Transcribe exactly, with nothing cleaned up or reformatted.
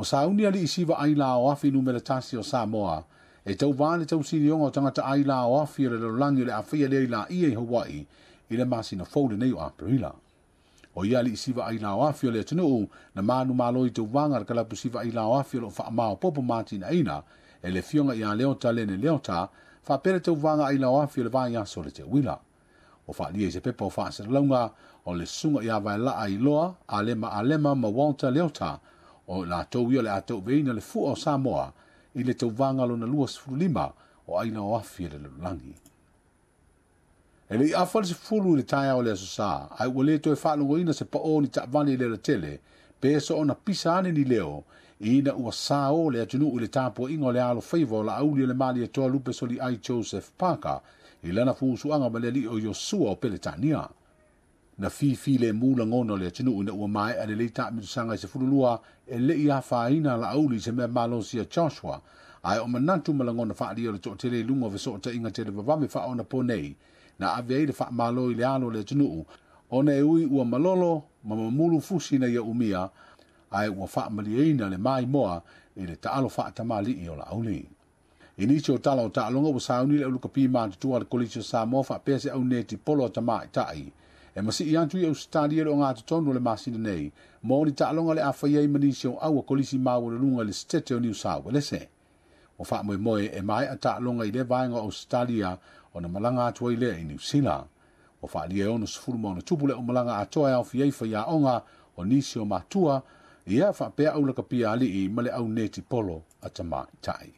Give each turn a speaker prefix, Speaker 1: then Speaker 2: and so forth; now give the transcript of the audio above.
Speaker 1: O sauni ali isiva ai la o afi numera tasi o Samoa, e tau vā le tausilioga o tagata aila o afi o le lalolagi o le afaia lea i laia i Hawaii i le masina fou lenei o Aperila. O ia ali siva ai la o afi o le atunuu na manu malo i tauvaga le kalapu siva ai la o afi o loo faamaopopo matinaina e le fioga ia Leota Lene Leota faapea le tauvaga ai la o afi o le vaiaso o le teuila. O faalia i se pepa o faasalalauga o le susuga ia Vaelaa Iloa Alema Alema ma Walter Leota o latou ia o le a tauveina le fua o Samoa i le tauvaga lona lua sefulu lima o aila o afi e le lalolagi. E le i afa le sefulu i le taeao o le aso Sa, ae ua le toe faalogoina se pao ni taavale i le alatele, pe soona pisa ane ni leo, ina ua sao le atunuu i le tapuaiga o le alofaiva o Laauli o le Malietoa Lupe Soliai Joseph Parker i lana fuusuaga ma le alii o Iosua o Peletania. Na fifi le mu lagona o le atunuu ina ua maea lelei taamilosaga i sefulu lua e le i afaina Laauli i se mea malosi a Joshua, ae o manatu ma lagona faalia o le toatele i luga o fesootaiga televavave faaonapo nei, na ave ai le faamalo i le alo o le atunuu, ona e ui ua malolo ma mamulu fusi na ia umia, ae ua faamalieina le maimoa i le taalo faatamalii o Laauli. I nisi o tala o taaloga ua sauni le aulukapi matutua le Kolisi o Samoa faapea se auneti polo a tamaitai. E masii atu i Ausetalia le ogatotonu o le masina nei, mo ni taaloga le afaia ai ma nisi o aua kolisi maualuluga i le Setete o Niu Sauelese. O faamoemoe e maea taaloga i le vaega o Ausetalia ona malaga atu ai lea i Niu Sila. Ua faalia e ono sefulu ma ona tupu le umalaga atoa e aofia ai faiaoga o nisi o matua, ia faapea aulakapia alii ma le auneti polo a tamaitai.